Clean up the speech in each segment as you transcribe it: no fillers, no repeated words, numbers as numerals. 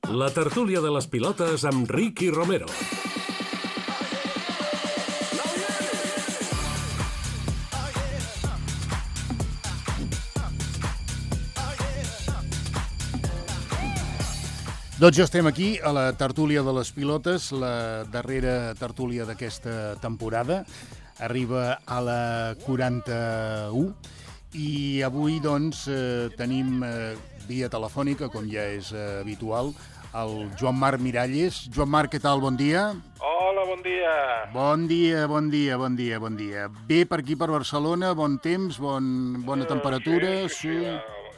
La tertúlia de les pilotes amb Ricky Romero. Doncs ja estem aquí a la tertúlia de les pilotes, la darrera tertúlia d'aquesta temporada. Arriba a la 41 i avui doncs tenim via telefònica, com ja és habitual, el Joan Marc Miralles. Joan Marc, què tal? Bon dia. Hola, bon dia. Bon dia. Bé per aquí, per Barcelona, bon temps, bona temperatura. Sí,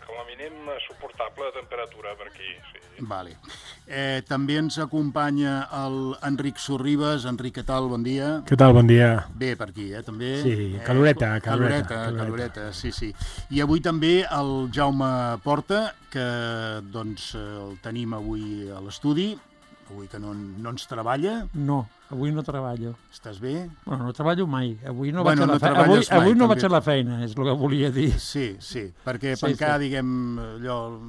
com a mínim suportable temperatura per aquí, sí. Vale. També ens acompanya l'Enric Sorribes. Enric, què tal? Bon dia. Què tal? Bon dia. Bé per aquí, també. Sí, caloreta. Sí. I avui també el Jaume Porta, que doncs el tenim avui a l'estudi, avui que no ens treballa. No, avui no treballo. Estàs bé? Bueno, no treballo mai. Avui no Bueno, vaig a la feina. Avui no vaig a la feina, és el que volia dir. Sí, perquè pencar, diguem, allò...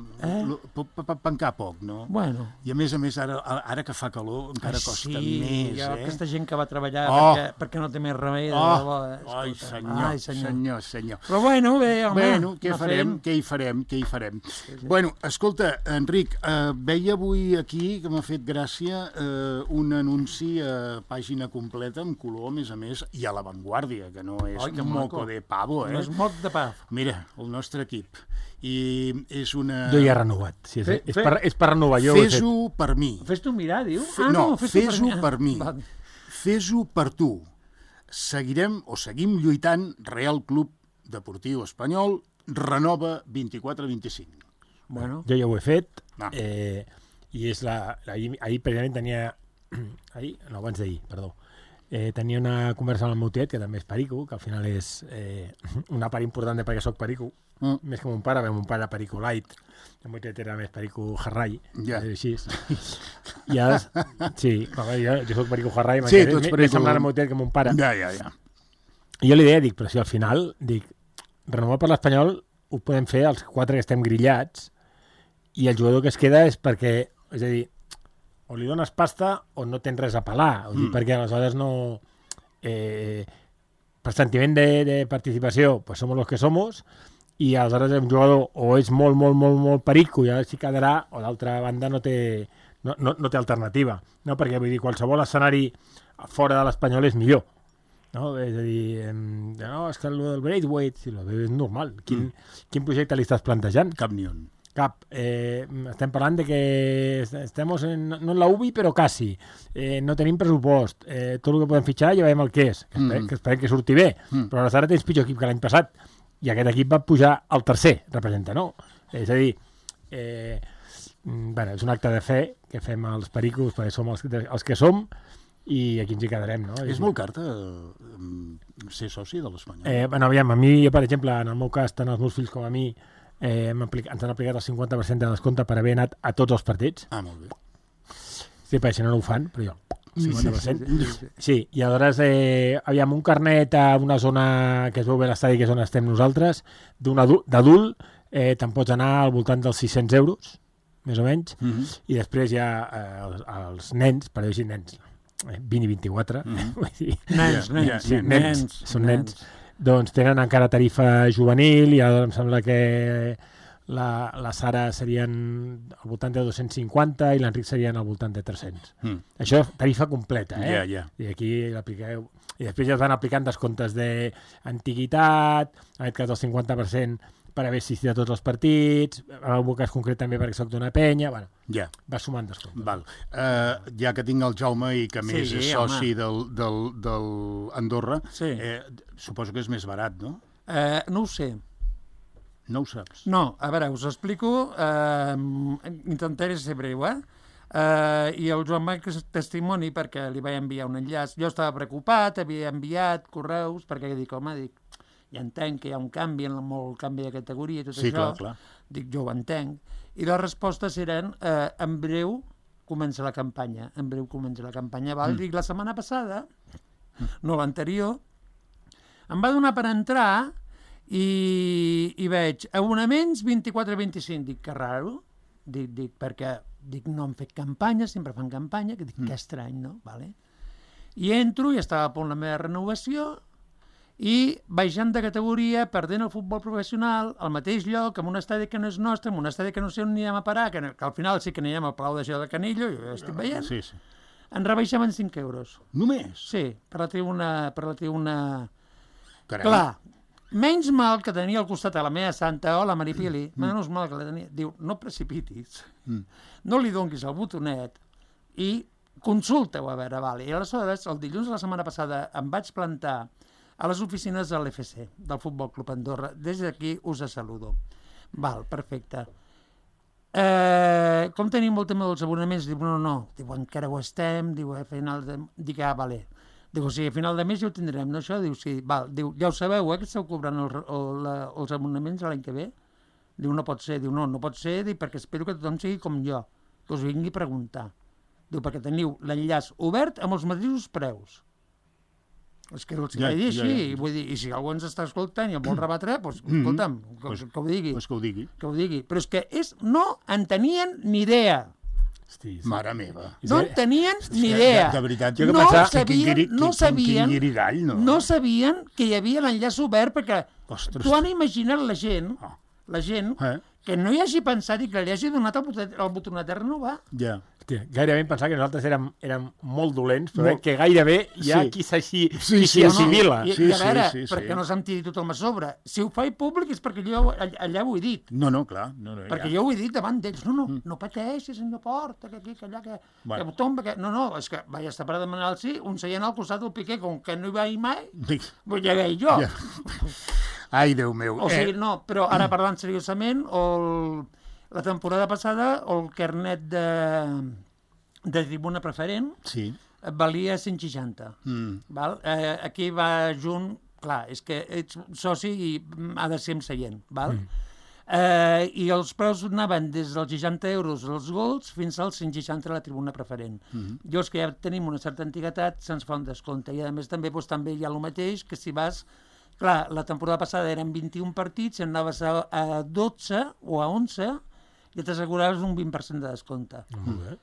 Pencar poc, no? Bueno. I a més, ara que fa calor, encara costa més, aquesta gent que va treballar perquè no té més remei. Ai, senyor. Però bueno, bé, home. Bueno, què hi farem? Bueno, escolta, Enric, veia avui aquí, que m'ha fet gràcia, un anunci a pàgina completa, en color, a més, i a l'avantguàrdia, que no és moco de pavo, No és moc de pa. Mira, el nostre equip. I és una... Jo ja he renovat. Sí, és per renovar. Fes-ho per mi. Fes-t'ho mirar, diu? Fes-ho per mi. Fes-ho per tu. Seguim lluitant. Real Club Deportiu Espanyol renova 24-25. Bueno. Jo ja ho he fet. I és ahir precisament tenia... abans d'ahir, perdó. Tenia una conversa amb el meu tiet, que també és perico, que al final és una part important de perquè soc perico, més que mon pare, mon pare perico light, el meu tiet era més perico jarrai, així. I ara, sí, jo soc perico jarrai, més semblant al meu tiet que mon pare. Ja. I jo li deia, però si al final, renovar per l'Espanyol ho podem fer els 4 que estem grillats, i el jugador que es queda és perquè, és a dir, o li dones pasta o no tens res a pelar, perquè aleshores no... per sentiment de participació, pues somos los que somos, i aleshores un jugador o és molt perico i ara s'hi quedarà, o d'altra banda no té alternativa, no? Perquè vull dir, qualsevol escenari fora de l'Espanyol és millor, no? És a dir, és que el del Braithwaite, si és normal. Quin projecte li estàs plantejant? Cap ni un. Cap. Estem parlant de que estem no en la UBI, però quasi. No tenim pressupost. Tot el que podem fitxar ja veiem el que és. Que esperem que surti bé. Però aleshores tens pitjor equip que l'any passat. I aquest equip va pujar al tercer, representa, no? És a dir, és un acte de fe que fem els pericos, perquè som els que som, i aquí ens hi quedarem, no? És molt car ser soci de l'Espanyol? Aviam, a mi, per exemple, en el meu cas, tant els meus fills com a mi, ens han aplicat el 50% de descompte per haver anat a tots els partits. Molt bé. Sí, perquè si no ho fan, però jo, 50%. Sí, i aleshores, aviam, un carnet a una zona que es veu bé l'estadi, que és on estem nosaltres, d'adult, te'n pots anar al voltant dels 600 euros, més o menys, i després ja els nens, per dir-ho així, nens, 20 i 24, nens, són nens, doncs tenen encara tarifa juvenil, i ara em sembla que la Sara serien al voltant de 250 i l'Enric serien al voltant de 300. Això és tarifa completa, I aquí l'apliqueu. I després ja es van aplicant descomptes d'antiguitat, en aquest cas el 50% per haver assistit a tots els partits, en el cas concret també perquè soc d'una penya, va sumant descomptes. Ja que tinc el Jaume i que més és soci del Andorra, suposo que és més barat, no? No ho sé. No ho saps? No, a veure, us explico, intentaré ser breu, i el Joan Marc és testimoni perquè li vaig enviar un enllaç. Jo estava preocupat, havia enviat correus, perquè ja entenc que hi ha un canvi, molt canvi de categoria i tot això. Clar. Dic, jo ho entenc. I les respostes eren, en breu comença la campanya. Dic, la setmana passada, no l'anterior, em va donar per entrar i veig abonaments 24-25. Dic, que raro. Dic, perquè Dic, no han fet campanya, sempre fan campanya, que dic, que estrany, no? Vale. I entro, i estava a punt la meva renovació, i baixant de categoria, perdent el futbol professional, al mateix lloc, en un estadi que no és nostre, en un estadi que no sé on anirem a parar, que al final sí que anirem al Palau de Gel de Canillo, jo ja estic veient, Sí, sí. ens rebaixaven 5 euros. Només? Sí, per la tribuna... Carai. Clar, menys mal que tenia al costat a la meva santa, la Maripili, menys mal que la tenia. Diu, no precipitis, no li donguis el botonet i consulta-ho a veure, vale. I aleshores, el dilluns de la setmana passada em vaig plantar a les oficines de l'FC, del Futbol Club Andorra. Des d'aquí us saludo. Val, perfecte. Com tenim molt tema dels abonaments? Diu, no. Diu, encara ho estem. Diu, a final de... Dic, vale. Diu, sí, a final de mes ja ho tindrem, no això? Diu, sí. Val. Diu, ja ho sabeu, que esteu cobrant els abonaments l'any que ve? Diu, no pot ser. Diu, no pot ser, perquè espero que tothom sigui com jo, que us vingui a preguntar. Diu, perquè teniu l'enllaç obert amb els mateixos preus. És que els vaig dir així, vull dir, i si algú ens està escoltant i el vol rebatre, doncs, escolta'm, que ho digui. Pues que ho digui. Que ho digui. Però és que no en tenien ni idea. Hosti, Mare meva. No en tenien ni idea. De veritat, no sabien guirigall, no? No sabien que hi havia l'enllaç obert, perquè Ostres. tu han imaginat la gent que no hi hagi pensat i que li hagi donat el botonet de renovar. Ja. Hòstia, gairebé em pensava que nosaltres érem molt dolents, però que gairebé hi ha qui s'hi assimila. I a veure, perquè no se'm tiri tothom a sobre. Si ho faig públic és perquè jo allà ho he dit. No, clar. Perquè jo ho he dit davant d'ells. No pateixis, senyor Porta, que aquí, que allà, que tomba, que... No, és que vaig estar per demanar el sí, un seient al costat del Piqué, com que no hi vaig mai, doncs ja veig jo. Ai, Déu meu. O sigui, no, però ara parlant seriosament, la temporada passada el carnet de tribuna preferent valia 160. Val? Aquí va junt, clar, és que ets soci i ha de ser amb seient. Val? I els preus anaven des dels 60 euros als Golds fins als 160 a la tribuna preferent. Jo, és que ja tenim una certa antiguitat, se'ns fa un descompte. I a més també hi ha el mateix que si vas... Clar, la temporada passada eren 21 partits, si anaves a 12 o a 11, ja t'asseguraves un 20% de descompte. Molt bé.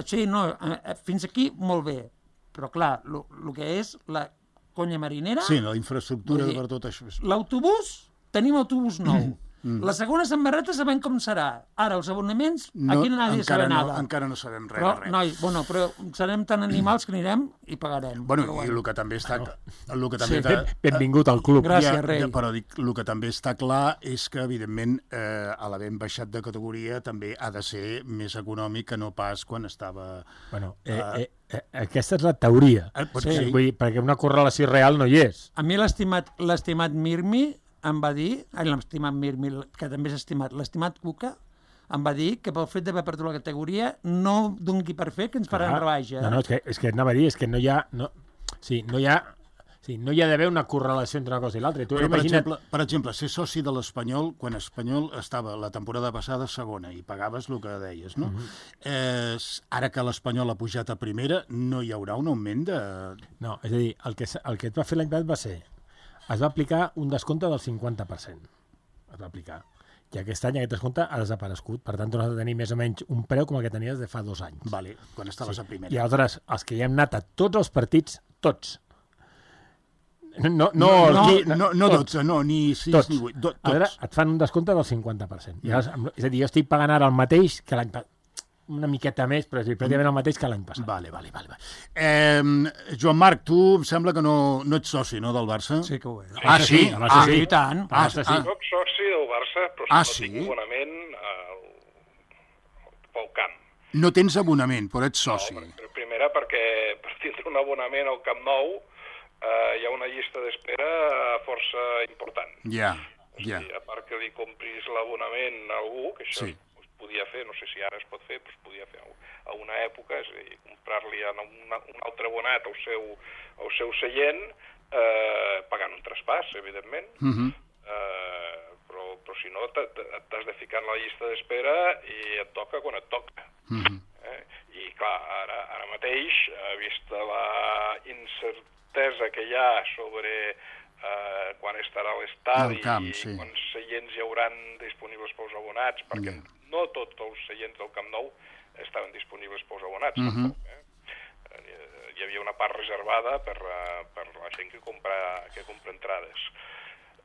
Sí, no, fins aquí molt bé, però clar, el que és la conya marinera... Sí, la infraestructura per tot això. L'autobús, tenim autobús nou. La segona samarreta sabem com serà. Ara, els abonaments, aquí nadie sabe nada. Encara no sabem res. Però, noi, però serem tan animals que anirem i pagarem. Bueno, i el que també està... Benvingut al club. Gràcies, rei. Però dic, el que també està clar és que, evidentment, a l'havent baixat de categoria també ha de ser més econòmic que no pas quan estava... Bueno, aquesta és la teoria. Sí. Vull dir, perquè una correlació real no hi és. A mi l'estimat Mirmi em va dir, l'estimat Mirmi, que també és estimat, l'estimat Cuca, em va dir que pel fet d'haver perdut la categoria no doni per fer que ens faran rebaixa. No, és que anava a dir, és que no hi ha d'haver una correlació entre una cosa i l'altra. Per exemple, ser soci de l'Espanyol, quan Espanyol estava la temporada passada segona i pagaves el que deies, no? Ara que l'Espanyol ha pujat a primera, no hi haurà un augment de... No, és a dir, el que et va fer l'any passat va ser es va aplicar un descompte del 50%. Es va aplicar. I aquest any aquest descompte ha desaparegut. Per tant, tornes a tenir més o menys un preu com el que tenies de fa 2 anys. Vale, quan estaves a primera. I aleshores, els que ja hem anat a tots els partits, tots. No 12, no, ni 6 ni 8. Tots. Ara et fan un descompte del 50%. I aleshores, és a dir, jo estic pagant ara el mateix que l'any passat. Una miqueta més, però és pràcticament el mateix que l'any passat. Vale. Joan Marc, tu em sembla que no ets soci, no, del Barça? Sí que ho és. Sí? Sí, i tant. Soc soci del Barça, però no tinc abonament pel camp. No tens abonament, però ets soci. No, primera perquè per tindre un abonament al Camp Nou hi ha una llista d'espera força important. Ja. A part que li compris l'abonament a algú, que això podia fer, no sé si ara es pot fer, però es podia fer a una època, és a dir, comprar-li un altre abonat al seu seient, pagant un traspàs, evidentment, però si no t'has de ficar en la llista d'espera i et toca quan et toca. I clar, ara mateix, vista la incertesa que hi ha sobre quan estarà l'estadi i quants seients hi hauran disponibles pel els abonats, perquè no tots els seients del Camp Nou estaven disponibles pels abonats, tampoc, hi havia una part reservada per la gent que compra entrades.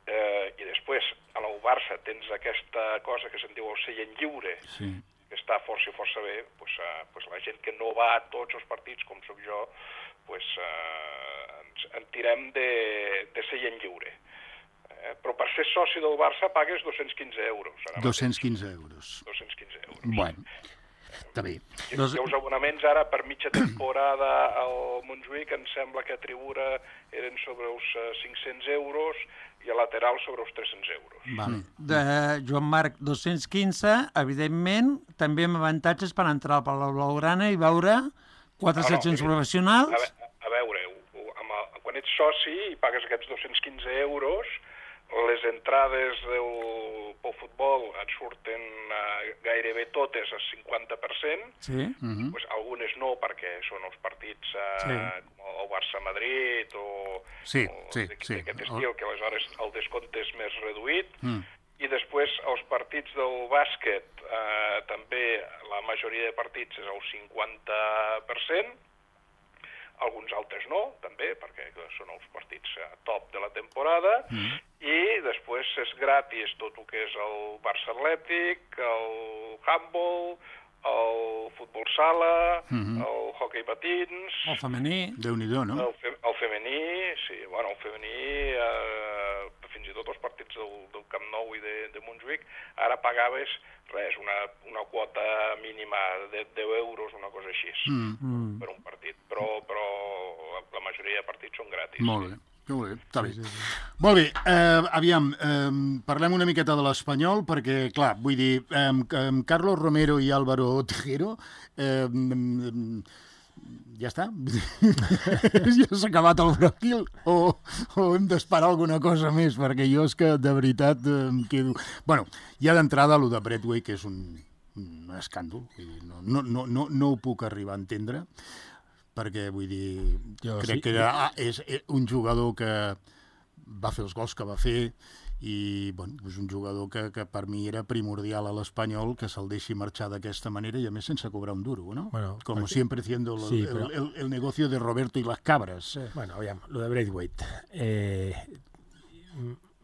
I després, a l'Ou Barça tens aquesta cosa que se'n diu el seient lliure, que està força bé, pues la gent que no va a tots els partits, com sóc jo, pues, en tirem de seient lliure. Però per ser soci del Barça pagues 215 euros. 215 euros. 215 euros. Bueno, està bé. I els abonaments ara per mitja temporada al Montjuïc em sembla que a tribuna eren sobre els 500 euros i a lateral sobre els 300 euros. Vale. Joan Marc, 215, evidentment, també amb avantatges per entrar al Palau Blaugrana i veure 4 seccions professionals. A veure, quan ets soci i pagues aquests 215 euros, les entrades pel futbol et surten gairebé totes al 50%, pues algunes no, perquè són els partits com el Barça-Madrid o d'aquest estil, que aleshores el descompte és més reduït, i després els partits del bàsquet, també la majoria de partits és el 50%, alguns altres no, també, perquè són els partits top de la temporada, i després és gratis tot el que és el Barça Atlètic, el handball, el futbol sala, el hoquei patins... El femení. Déu-n'hi-do, no? El femení, sí, bueno, el femení, fins i tot els partits del Camp Nou i de Montjuïc, ara pagaves res, una quota mínima de 10 euros, una cosa així, per un partit, però la majoria de partits són gratis. Molt bé. Està bé. Molt bé, aviam, parlem una miqueta de l'Espanyol, perquè, clar, vull dir, Carlos Romero i Álvaro Tejero, ja està? Ja s'ha acabat el Brasil? O hem d'esperar alguna cosa més? Perquè jo és que, de veritat, em quedo... Bueno, ja d'entrada, el de Braithwaite, que és un escàndol, no ho puc arribar a entendre, perquè, vull dir, crec que és un jugador que va fer els gols que va fer i, bueno, és un jugador que per mi era primordial a l'Espanyol, que se'l deixi marxar d'aquesta manera i a més sense cobrar un duro, ¿no? Bueno, como siempre haciendo el negocio de Roberto y las cabras. Bueno, aviam, lo de Braithwaite.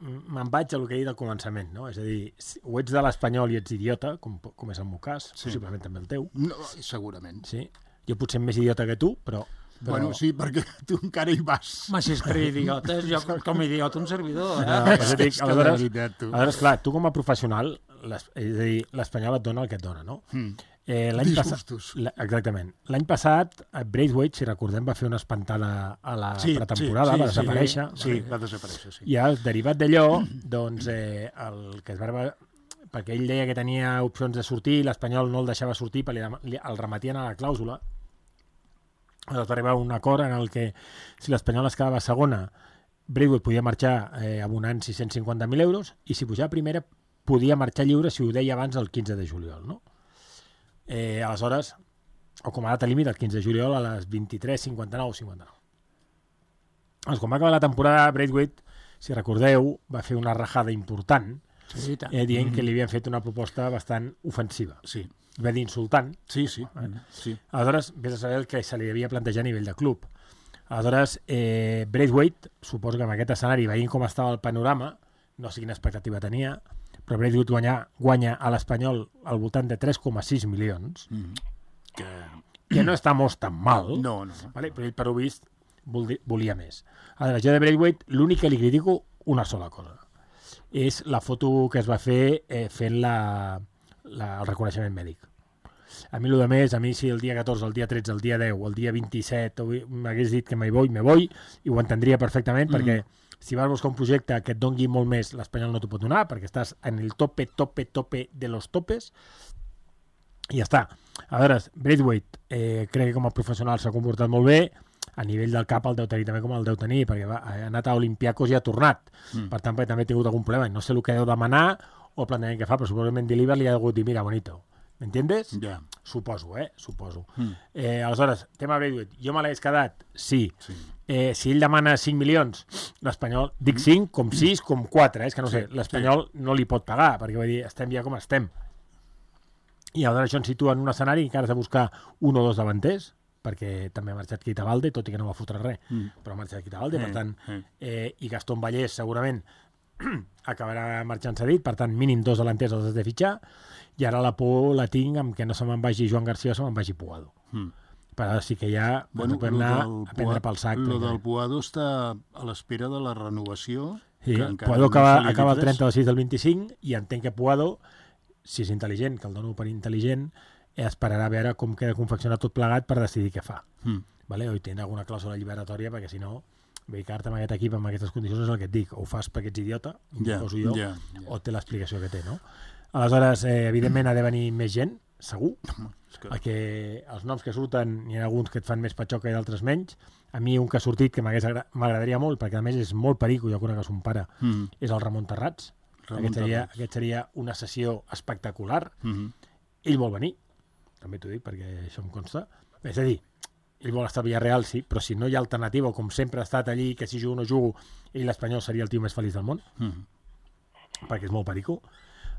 Me'n vaig a lo que he dit al començament, no? És a dir, o ets de l'Espanyol i ets idiota, com és el meu cas, possiblement també el teu. No, segurament. Sí. Jo potser més idiota que tu, però... Bueno, sí, perquè tu encara hi vas. Home, si és per idiotes, jo com a idiota un servidor. Aleshores, clar, tu com a professional, és a dir, l'Espanyol et dona el que et dona, no? Disgustos. Exactament. L'any passat, Braithwaite, si recordem, va fer una espantada a la pretemporada, va desaparèixer. Sí, va desaparèixer, sí. I derivat d'allò, doncs, el que es va... perquè ell deia que tenia opcions de sortir, l'Espanyol no el deixava sortir, perquè el remetien a la clàusula. Va arribar a un acord en el que, si l'Espanyol es quedava segona, Braithwaite podia marxar abonant 650.000 euros i si pujava primera podia marxar lliure si ho deia abans el 15 de juliol, no? Aleshores, o com a data límit, el 15 de juliol a les 23:59. Quan va acabar la temporada, Braithwaite, si recordeu, va fer una rajada important, dient que li havien fet una proposta bastant ofensiva. Sí. Va dir insultant. Sí. Aleshores, vés a saber el que se li havia plantejat a nivell de club. Aleshores, Braithwaite, suposo que amb aquest escenari, veient com estava el panorama, no sé quina expectativa tenia, però Braithwaite guanya a l'Espanyol al voltant de 3,6 milions, que no està molt tan mal, no. Vale? Però ell, per ho vist, volia més. Aleshores, jo de Braithwaite, l'únic que li critico una sola cosa. És la foto que es va fer fent el reconeixement mèdic. A mi, el més, si el dia 14, el dia 13, el dia 10, el dia 27 m'hagués dit que me voy, i ho entendria perfectament, perquè si vas buscar un projecte que et dongui molt més, l'Espanyol no t'ho pot donar, perquè estàs en el tope de los topes, i ja està. Aleshores, Braithwaite, crec que com a professional s'ha comportat molt bé, a nivell del cap el deu tenir també com el deu tenir, perquè ha anat a Olympiacos i ha tornat. Per tant, també ha tingut algun problema. No sé el que deu demanar o el plantejament que fa, però segurament Deliver li ha hagut dir, mira, bonito, ¿m'entiendes? Ja. Suposo. Aleshores, tema Braithwaite, jo me l'hagués quedat? Sí. Si ell demana 5 milions, l'Espanyol, dic 5, com 6, com 4, és que no sé, l'Espanyol no li pot pagar, perquè vull dir, estem ja com estem. I aleshores això ens situa en un escenari que encara has de buscar un o dos davanters, perquè també ha marxat Keita Balde, tot i que no va fotre res, però ha marxat Keita Balde, per tant, i Gastón Vallès segurament acabarà marxant cedit, per tant, mínim 2 delanters els has de fitxar, i ara la por la tinc amb que no se me'n vagi Joan Garcia o se me'n vagi Puado. Però ara sí que ja podem anar a prendre pel sac. Lo del Puado està a l'espera de la renovació. Sí, Puado acaba el 30 de 6 del 25 i entenc que Puado, si és intel·ligent, que el dono per intel·ligent, esperarà a veure com queda confeccionat tot plegat per decidir què fa. Vale? O hi té alguna clàusula liberatòria, perquè si no, quedar-te amb aquest equip amb aquestes condicions és el que et dic, o ho fas perquè ets idiota, poso jo, o té l'explicació que té, no? Aleshores, evidentment ha de venir més gent, segur, perquè els noms que surten, n'hi ha alguns que et fan més patxoca i d'altres menys. A mi un que ha sortit que m'agradaria molt, perquè a més és molt perico, jo conec a son pare, és el Ramon Terrats. Aquest seria una sessió espectacular. Ell vol venir, també t'ho dic, perquè això em consta. És a dir, ell vol estar a Villarreal, sí, però si no hi ha alternativa, com sempre ha estat allí, que si jugo o no jugo, ell l'Espanyol seria el tio més feliç del món, perquè és molt perico.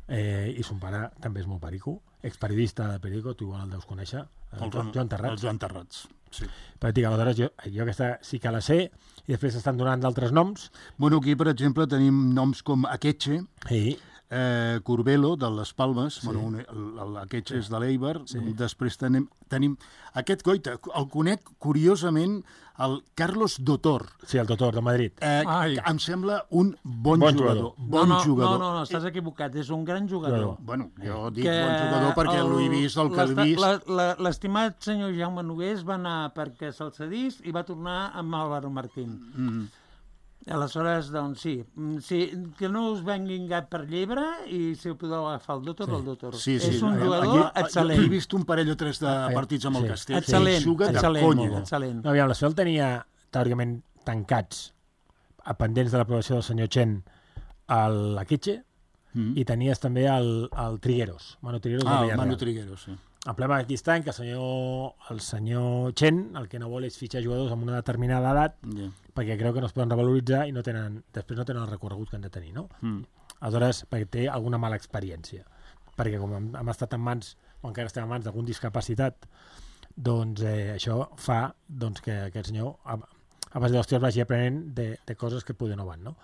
I son pare també és molt perico, experiodista de perico, tu igual el deus conèixer, Joan Terrats. El Joan Terrats, sí. Però dic, aleshores jo aquesta sí que la sé, i després estan donant d'altres noms. Bueno, aquí, per exemple, tenim noms com Akeche, Curbelo, de les Palmes, l'Akeche és de l'Eibar, després tenim aquest goita, el conec curiosament, el Carlos Dotor. Sí, el Dotor, de Madrid. Em sembla un bon jugador. No, estàs equivocat, és un gran jugador. Bueno, jo dic bon jugador perquè l'ho he vist, el que l'he vist. L'estimat senyor Jaume Nogués va anar perquè se'l cedís i va tornar amb Álvaro Martín. Aleshores, doncs sí, que no us venguin gat per llebre i si ho podeu agafar el Dotor, el Dotor. És un jugador excel·lent. He vist un parell o tres de partits amb el Castell. Excel·lent. Aviam, l'Espanyol tenia, teòricament, tancats a pendents de l'aprovació del senyor Chen l'Akeche i tenies també el Trigueros. Manu Trigueros de Villarreal. Manu Trigueros, sí. El problema aquí està en que el senyor Chen el que no vol és fitxar jugadors amb una determinada edat perquè creu que no es poden revaloritzar i després no tenen el recorregut que han de tenir, no? Aleshores, perquè té alguna mala experiència. Perquè com hem estat en mans, o encara estem en mans d'algun discapacitat, doncs això fa que aquest senyor, a base d'hòsties, vagi aprenent de coses que poder no van, no?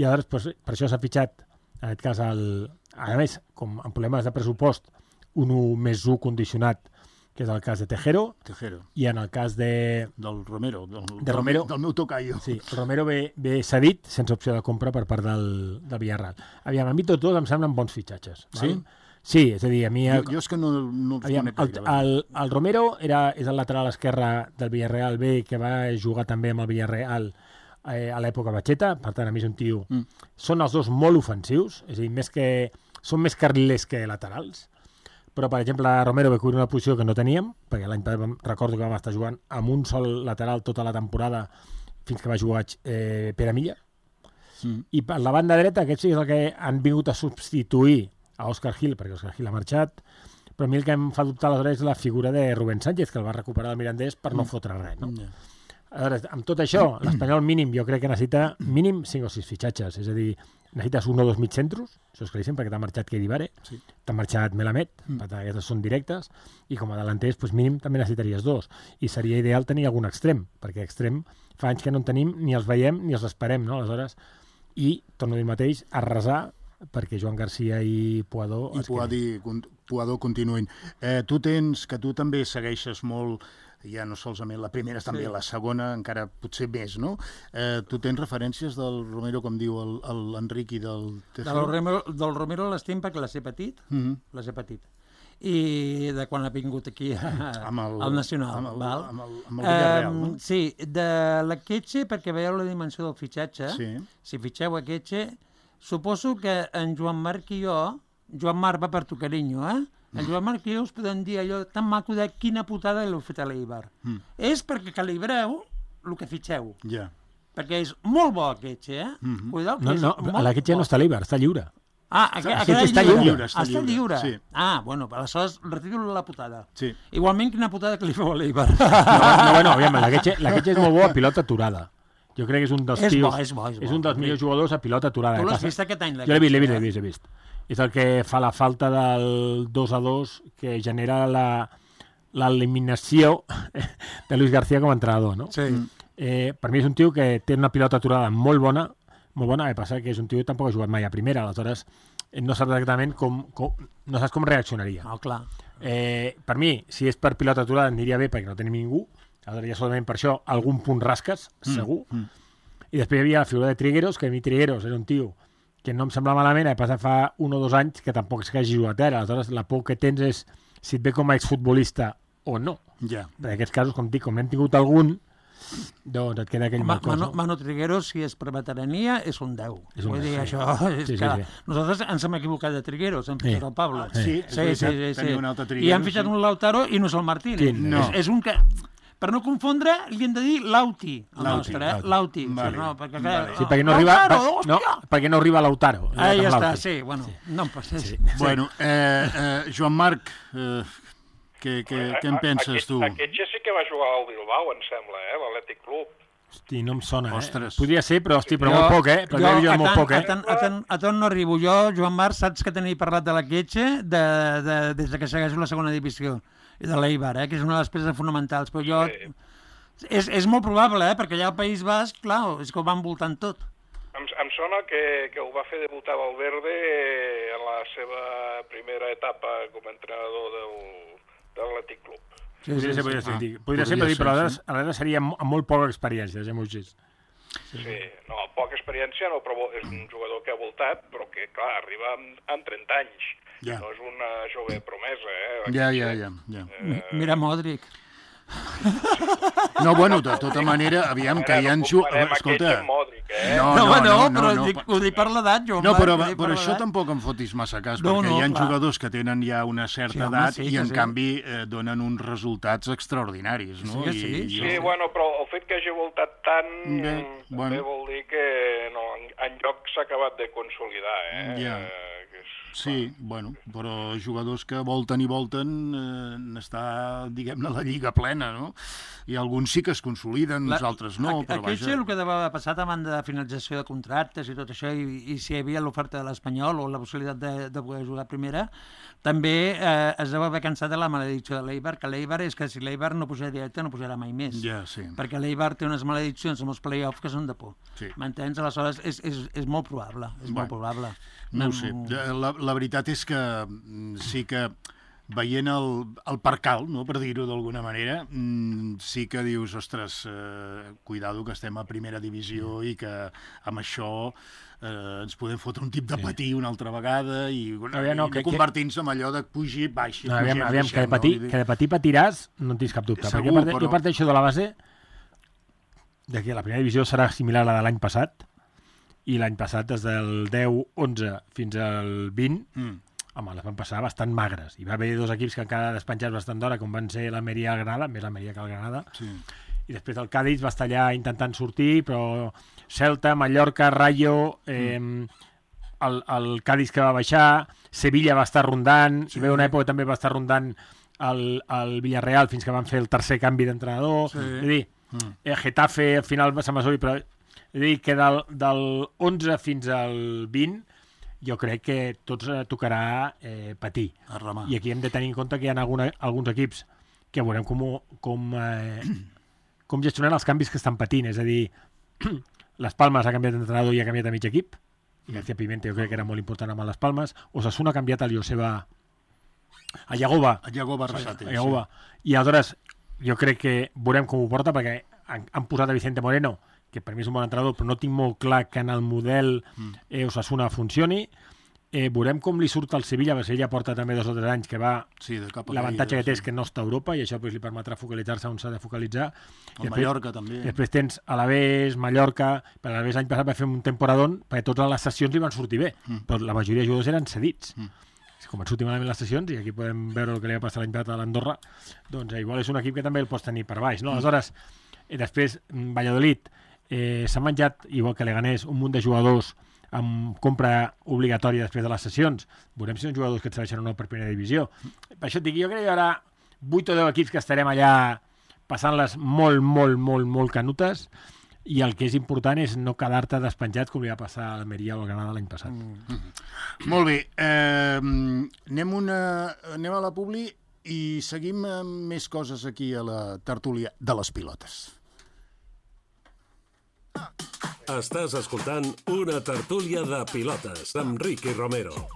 I aleshores, per això s'ha fitxat, en aquest cas, a més, com en problemes de pressupost, un 1+1 condicionat, que és el cas de Tejero, i en el cas del Romero, del meu tocayo. Sí, el Romero ve cedit sense opció de compra per part del Villarreal. Aviam, a mi tots dos em semblen bons fitxatges. Sí? Sí, és a dir, a mi... Jo és que no els conec gaire. El Romero és el lateral esquerre del Villarreal B, que va jugar també amb el Villarreal a l'època Batxeta, per tant, a mi és un tio... Són els dos molt ofensius, és a dir, són més carrilers que laterals, però, per exemple, Romero va cobrir una posició que no teníem, perquè l'any recordo que vam estar jugant amb un sol lateral tota la temporada fins que va jugar Pere Milla. I per la banda dreta, aquest sí és el que han vingut a substituir a Òscar Gil, perquè Òscar Gil ha marxat, però a mi el que em fa dubtar aleshores és la figura de Rubén Sánchez, que el va recuperar del Mirandés per no fotre res, no? Aleshores, amb tot això, l'Espanyol mínim jo crec que necessita mínim 5 o 6 fitxatges, és a dir, necessites 1 o 2 mitjcentros, això és claríssim, perquè t'ha marxat Kedivare, t'ha marxat Melamed, per tant, aquestes són directes, i com a delanters, doncs mínim també necessitaries 2, i seria ideal tenir algun extrem, perquè extrem fa anys que no en tenim, ni els veiem ni els esperem, no? Aleshores, i, torno a dir el mateix, a resar perquè Joan Garcia i Puado... Puado continuïn. Tu també segueixes molt, ja no solament la primera, també la segona, encara potser més, no? Tu tens referències del Romero, com diu l'Enric, i del Tejero? Del Romero l'estim perquè les he patit, i de quan ha vingut aquí al Nacional. Amb el Villarreal, no? Sí, de l'Akeche, perquè veieu la dimensió del fitxatge, si fitxeu Akeche, suposo que en Joan Marc i jo, Joan Marc va per tu carinyo, en Joan Marc i jo us podem dir allò tan maco de quina putada l'heu fet a l'Eibar. És perquè calibreu el que fitxeu. Perquè és molt bo Akeche, No, l'Akeche no està a l'Eibar, està lliure. Aquest està lliure. Està lliure. Sí. Bueno, aleshores retiro la putada. Sí. Igualment, quina putada que li feu a l'Eibar. Aviam, la Guetxe és molt bo a pilota aturada. Jo crec que és un dels tios... És bo. És un dels millors jugadors a pilota aturada. Tu l'has vist aquest any? Jo l'he vist. És el que fa la falta del 2-2 que genera l'eliminació de Luis García com a entrenador, no? Sí. Per mi és un tio que té una pilota aturada molt bona, el que passa que és un tio que tampoc ha jugat mai a primera, aleshores no saps exactament no saps com reaccionaria. No, clar. Per mi, si és per pilota aturada, aniria bé perquè no tenim ningú, aleshores ja solament per això algun punt rasques, segur. I després hi havia la figura de Trigueros, que a mi Trigueros era un tio que no em sembla malament, a passar fa 1 o 2 anys que tampoc és que hagi jugat ara, aleshores la por que tens és si et ve com a exfutbolista o no. Ja. En aquests casos, com dic, com n'hem tingut algun, doncs et queda aquell mal cos. Manu Trigueros, si és per veterania, és un 10. Vull dir, això... Sí. Nosaltres ens hem equivocat de Trigueros, hem fitxat el Pablo. Sí. Tenia un altre Trigueros. I han fitxat un Lautaro i no és el Martínez. No. És un que... Per no confondre, li hem de dir Lauti, el nostre, Lauti. Vale. No, perquè, Sí, perquè no arriba... perquè no arriba Lautaro. Ja està, sí, bueno. No em passa. Bueno, Joan Marc, què en penses, tu? Aquest ja sí que va jugar al Bilbao, em sembla, l'Atlètic Club. Hosti, no em sona, Ostres. Podria ser, però molt poc, Però jo molt poc, A tant no arribo. Jo, Joan Marc, saps que tenia parlat de la Guetxe des que segueixo la segona divisió i de l'Eibar, que és una de les peces fonamentals, però jo... Sí. És molt probable, perquè allà al País Basc, clar, és que ho van voltant tot. Em sona que ho va fer debutar Valverde en la seva primera etapa com a entrenador de l'Atlètic Club. Podria ser, però aleshores seria amb molt poca experiència, ja m'ho gis. Sí, no, poca experiència no, però és un jugador que ha voltat, però que, clar, arriba amb 30 anys. Ja. No és una jove promesa, Ja. Mira Modric. No, bueno, de tota manera, aviam, que hi ha... Escolta... Però ho dic per l'edat, jo. No, però això tampoc em fotis massa cas, perquè hi ha jugadors que tenen ja una certa edat i, en canvi, donen uns resultats extraordinaris, no? Sí, bueno, però el fet que hagi voltat tant també vol dir que en lloc s'ha acabat de consolidar, Ja. Sí, bueno, però jugadors que volten i volten n'està, diguem-ne, la lliga plena, no? I alguns sí que es consoliden, uns altres no, però vaja... Aquest és el que devia haver passat abans de finalització de contractes i tot això, i si hi havia l'oferta de l'Espanyol o la possibilitat de poder jugar a primera, també es deu haver cansat de la maledicció de l'Eibar, que l'Eibar és que si l'Eibar no pujarà directe no pujarà mai més. Ja, sí. Perquè l'Eibar té unes malediccions amb els play-offs que són de por. Sí. M'entens? Aleshores és molt probable. Molt probable. No ho sé. La veritat és que sí que veient el percal, no, per dir-ho d'alguna manera, sí que dius, ostres, cuidado que estem a primera divisió i que amb això ens podem fotre un tip de patir una altra vegada i convertir-nos en allò de pugi, baixi. Aviam, que de patir patiràs, no en tens cap dubte. Perquè jo parteixo de la base que la primera divisió serà similar a la de l'any passat, i l'any passat, des del 10-11 fins al 20, home, les van passar bastant magres. Hi va haver 2 equips que encara despenjats bastant d'hora, com van ser l'Almeria i el Granada, més l'Almeria que el Granada, i després el Cádiz va estar allà intentant sortir, però Celta, Mallorca, Rayo, el Cádiz que va baixar, Sevilla va estar rondant, hi va haver una època també va estar rondant el Villarreal fins que van fer el tercer canvi d'entrenador, és a dir, Getafe al final se'n va sortir, però és a dir, que del 11 fins al 20 jo crec que tots tocarà patir. I aquí hem de tenir en compte que hi ha alguns equips que veurem com gestionen els canvis que estan patint. És a dir, les Palmes ha canviat d'entrenador i ha canviat a mig equip, i García Pimenta jo crec que era molt important amb les Palmes. Osasuna ha canviat el Joseba a Yagoba. I aleshores jo crec que veurem com ho porta, perquè han posat a Vicente Moreno, que per mi és un bon entrenador, però no tinc molt clar que en el model Osasuna funcioni. Veurem com li surt al Sevilla, perquè Sevilla porta també 2 o 3 anys que va... L'avantatge que té és que no està a Europa i això li permetrà focalitzar-se on s'ha de focalitzar. Mallorca també. Després tens Alavés, Mallorca, però Alavés l'any passat va fer un temporadón perquè totes les sessions li van sortir bé, però la majoria de jugadors eren cedits. Com van sortir malament les sessions, i aquí podem veure el que li va passar l'any passat a l'Andorra, doncs igual és un equip que també el pots tenir per baix, no? Aleshores, després Valladolid s'ha menjat, igual que Leganés, un munt de jugadors amb compra obligatòria després de les sessions. Veurem si són jugadors que et serveixen o no per primera divisió. Per això et dic, jo crec que hi haurà 8 o 10 equips que estarem allà passant-les molt canutes, i el que és important és no quedar-te despenjats com li va passar a l'Almeria o al Granada l'any passat. Molt bé. Anem a la publi i seguim amb més coses aquí a la tertúlia de les pilotes. Estàs escoltant una tertúlia de pilotes amb Ricky Romero.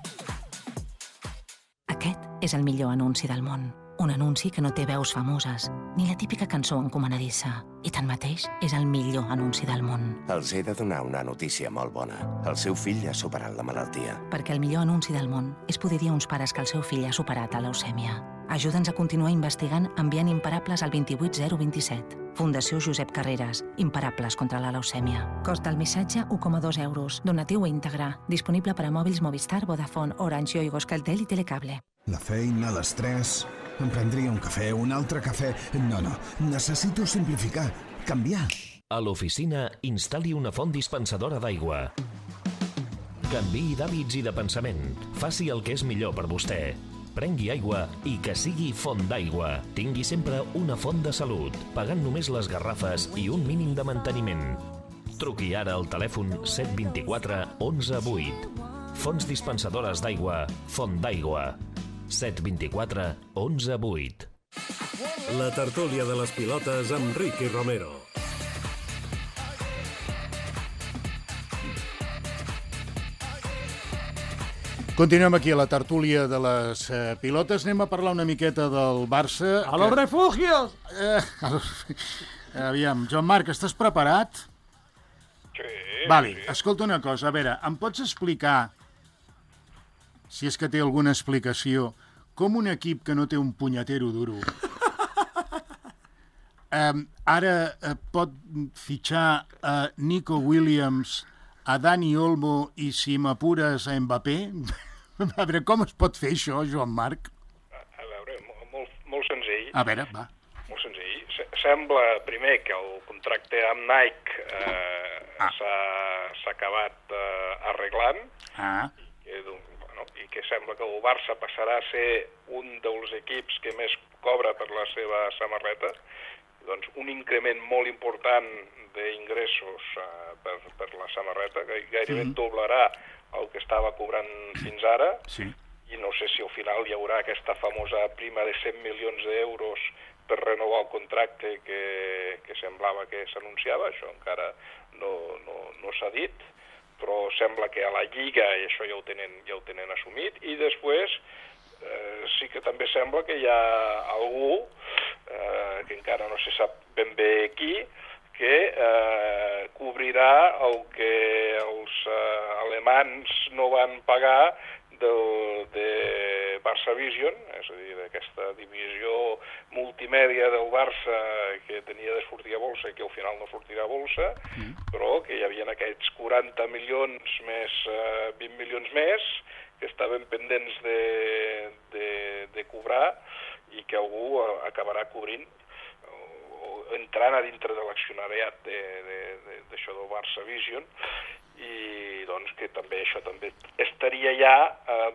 Aquest és el millor anunci del món. Un anunci que no té veus famoses, ni la típica cançó encomanadissa. I tanmateix és el millor anunci del món. Els he de donar una notícia molt bona. El seu fill ha superat la malaltia. Perquè el millor anunci del món és poder dir a uns pares que el seu fill ha superat la leucèmia. Ajuda'ns a continuar investigant enviant Imparables al 28027. Fundació Josep Carreras. Imparables contra la leucèmia. Cost del missatge, 1,2 euros. Donatiu íntegre. Disponible per a mòbils Movistar, Vodafone, Orange, Yoigo, Euskaltel i Telecable. La feina, l'estrès... Em prendria un cafè, un altre cafè... No, necessito simplificar, canviar. A l'oficina, instal·li una font dispensadora d'aigua. Canviï d'hàbits i de pensament. Faci el que és millor per vostè. Prengui aigua i que sigui font d'aigua. Tingui sempre una font de salut, pagant només les garrafes i un mínim de manteniment. Truqui ara al telèfon 724 11 8. Fonts dispensadores d'aigua, Font d'aigua. 724 11 8. La tertúlia de les pilotes amb Ricky Romero. Continuem aquí a la tertúlia de les pilotes. Anem a parlar una miqueta del Barça. ¡A los refugios! Aviam, Joan Marc, estàs preparat? Sí. Vale, Sí. escolta una cosa. A veure, em pots explicar, si és que té alguna explicació, com un equip que no té un punyetero duro ara pot fitxar a Nico Williams, a Dani Olmo i, si m'apures, a Mbappé? A veure, com es pot fer això, Joan Marc? A veure, molt senzill. A veure, va. Molt senzill. Sembla, primer, que el contracte amb Nike s'ha acabat arreglant i que sembla que el Barça passarà a ser un dels equips que més cobra per la seva samarreta. Doncs un increment molt important d'ingressos per la samarreta, que gairebé doblarà el que estava cobrant fins ara, i no sé si al final hi haurà aquesta famosa prima de 100 milions d'euros per renovar el contracte que semblava que s'anunciava. Això encara no s'ha dit, però sembla que a la Lliga i això ja ho tenen assumit, i després sí que també sembla que hi ha algú, que encara no se sap ben bé qui, que cobrirà el que els alemans no van pagar de Barça Vision, és a dir, d'aquesta divisió multimèdia del Barça que tenia de sortir a bolsa i que al final no sortirà a bolsa, però que hi havia aquests 40 milions més 20 milions més que estaven pendents de cobrar i que algú acabarà cobrint o entrant a dintre de l'accionariat d'això del Barça Vision, i doncs que també això també estaria ja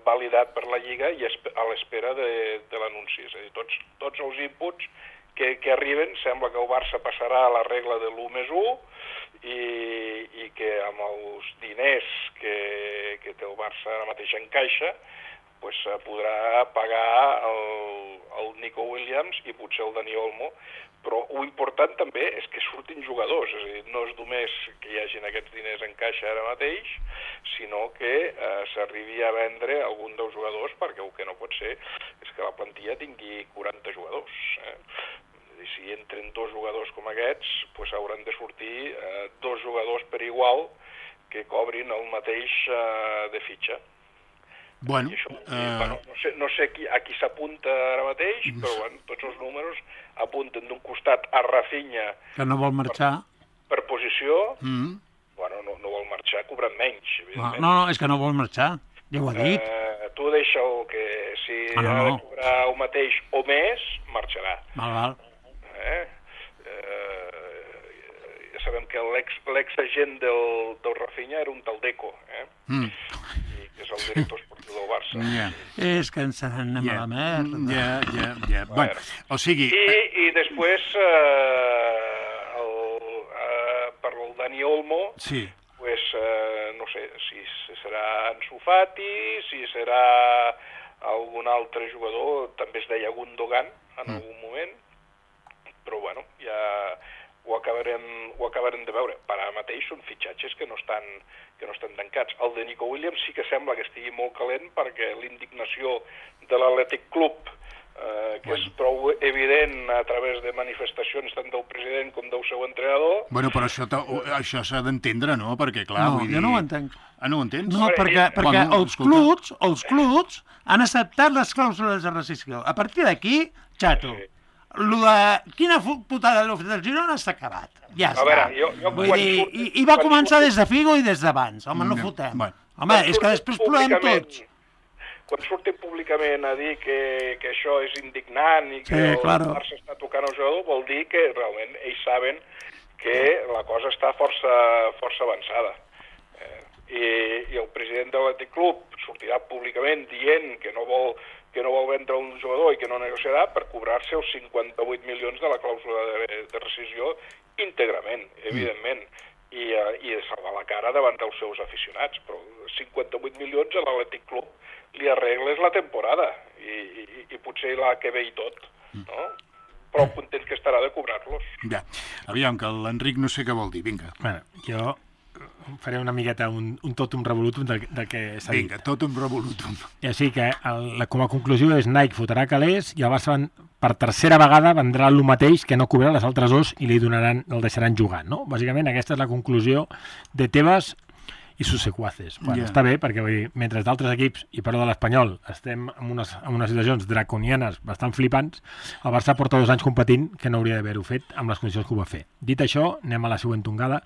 validat per la Lliga i a l'espera de l'anunci. És a dir, tots els inputs que arriben sembla que el Barça passarà a la regla de l'1+1 i que amb els diners que té el Barça ara mateix en caixa pues, podrà pagar el Nico Williams i potser el Dani Olmo, però l'important també és que surtin jugadors, és a dir, no és només que hi hagin aquests diners en caixa ara mateix, sinó que s'arribi a vendre algun dels jugadors, perquè el que no pot ser és que la plantilla tingui 40 jugadors. I si entren 2 jugadors com aquests, pues hauran de sortir 2 jugadors per igual que cobrin el mateix de fitxa. Bueno, no sé a qui s'apunta ara mateix, però bueno, tots els números apunten d'un costat a Rafinha, que no vol marxar per posició. Bueno, no vol marxar cobrant menys, evidentment. No, és que no vol marxar, ja ho ha dit. Tu deixa'l que si ha de cobrar el mateix o més, marxarà. Val. sabem que l'exagent del Rafinha era un tal Deco, i que és el director esportiu del Barça. És que ens anem a la merda. Ja. Bueno, o sigui... I després, per el Dani Olmo, pues, no sé si serà Ansu Fati, si serà algun altre jugador, també es deia Gundogan en algun moment, però bueno, ja ho acabarem de veure. Per ara mateix són fitxatges que no estan tancats. El de Nico Williams sí que sembla que estigui molt calent perquè l'indignació de l'Atlètic Club, que és prou evident a través de manifestacions tant del president com del seu entrenador... Bueno, però això s'ha d'entendre, no? Perquè, clar, vull dir... Jo no ho entenc. Ah, no ho entens? No, perquè els clubs han acceptat les clàusules de rescissió. A partir d'aquí, xato, quina putada l'ha fet el Girona està acabat. Ja està. Vull dir, i va començar des de Figo i des d'abans. Home, no fotem. Home, és que després plorem tots. Quan surten públicament a dir que això és indignant i que el Barça està tocant el jugador, vol dir que realment ells saben que la cosa està força avançada. I el president de l'Atlètic Club sortirà públicament dient que no vol vendre un jugador i que no negociarà per cobrar-se els 58 milions de la clàusula de rescissió íntegrament, evidentment, i de salvar la cara davant dels seus aficionats. Però 58 milions a l'Atlètic Club li arregles la temporada i potser la que ve i tot, no? Prou content que estarà de cobrar-los. Ja, aviam, que l'Enric no sé què vol dir, vinga. Bueno, jo faré una miqueta un totum revolutum del que s'ha dit. Vinga, totum revolutum. I així que com a conclusió és Nike fotrà calés i el Barça per tercera vegada vendrà el mateix que no cobrarà les altres dos i el deixaran jugar, no? Bàsicament aquesta és la conclusió de Tebas i sus sequaces. Bueno, està bé, perquè vull dir, mentre d'altres equips, i perdó de l'Espanyol, estem en unes situacions draconianes bastant flipants, el Barça porta 2 anys competint que no hauria d'haver-ho fet amb les condicions que ho va fer. Dit això, anem a la següent tongada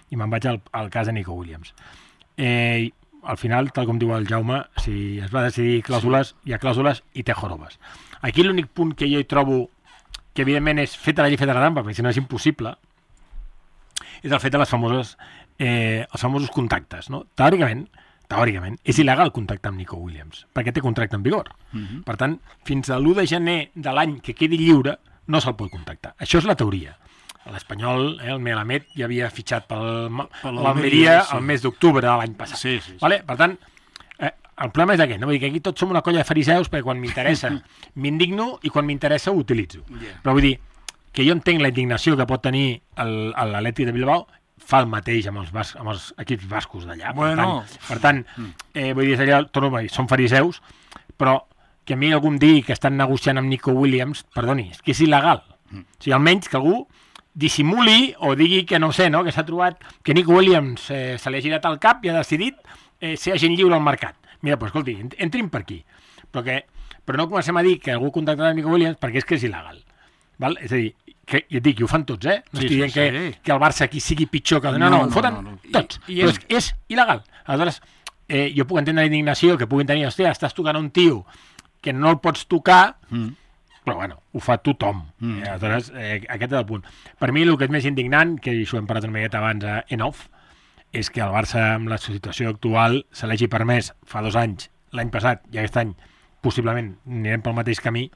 i me'n vaig al cas de Nico Williams. Al final, tal com diu el Jaume, si es va decidir clàusules, hi ha clàusules i té jorobes. Aquí l'únic punt que jo hi trobo que evidentment és feta la llei feta la trampa, perquè si no és impossible, és el fet de els famosos contactes, no? Teòricament, és il·legal contactar amb Nico Williams, perquè té contracte en vigor. Per tant, fins a l'1 de gener de l'any que quedi lliure, no se'l pot contactar. Això és la teoria. L'Espanyol, el Melamed, ja havia fitxat per l'Almeria el mes d'octubre de l'any passat. Sí. Vale? Per tant, el problema és aquest, no? Vull dir que aquí tots som una colla de fariseus perquè quan m'interessa m'indigno i quan m'interessa ho utilitzo. Però vull dir que jo entenc la indignació que pot tenir l'Atlètic de Bilbao, fa el mateix amb els equips bascos d'allà. Per tant, vull dir, torno a dir, són fariseus, però que a mi algú em digui que estan negociant amb Nico Williams, perdoni, és que és il·legal. O sigui, almenys que algú dissimuli o digui que no sé, no? Que s'ha trobat que Nico Williams se li ha girat al cap i ha decidit ser agent lliure al mercat. Mira, doncs escolti, entrin per aquí. Però no comencem a dir que algú contactarà Nico Williams perquè és que és il·legal. Val? És a dir, que ja et dic, ho fan tots, No estic dient que el Barça aquí sigui pitjor que... No, ho foten tots. Però és il·legal. Aleshores, jo puc entendre la indignació que puguin tenir, hòstia, estàs tocant un tio que no el pots tocar, però bueno, ho fa tothom. Aleshores, aquest és el punt. Per mi el que és més indignant, que això hem parlat una miqueta abans en off, és que el Barça, amb la situació actual, se l'hagi permès fa 2 anys, l'any passat i aquest any, possiblement anirem pel mateix camí,